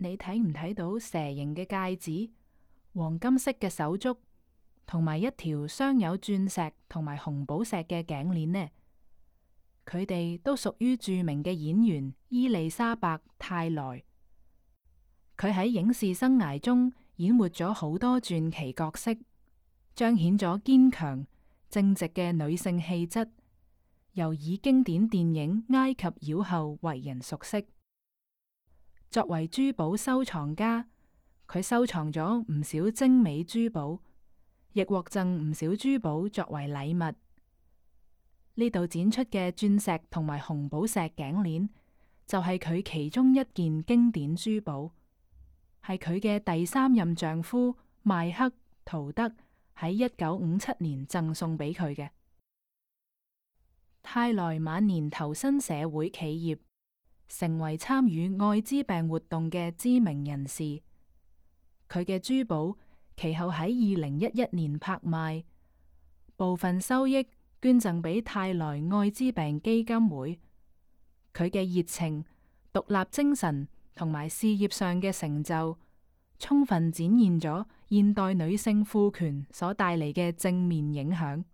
你睇唔睇到蛇形嘅戒指、黃金色嘅手足，同埋一條鑲有鑽石同埋紅寶石嘅頸鏈呢？佢哋都屬於著名嘅演員伊麗莎白·泰萊。佢喺影視生涯中演活咗好多傳奇角色，彰顯咗堅強正直嘅女性氣質，又以經典電影《埃及妖后》為人熟悉。作為珠寶收藏家，佢收藏咗唔少精美珠寶，亦獲贈唔少珠寶作為禮物。呢度展出嘅鑽石同埋紅寶石頸鏈，就係佢其中一件經典珠寶，係佢嘅第三任丈夫邁克·圖德喺1957年贈送俾佢嘅。泰萊晚年投身社會企業，成為參與愛滋病活動嘅知名人士。佢嘅珠寶其後喺2011年拍賣，部分收益捐贈俾泰萊愛滋病基金會。佢嘅熱情、獨立精神同埋事業上嘅成就，充分展現咗現代女性賦權所帶嚟嘅正面影響。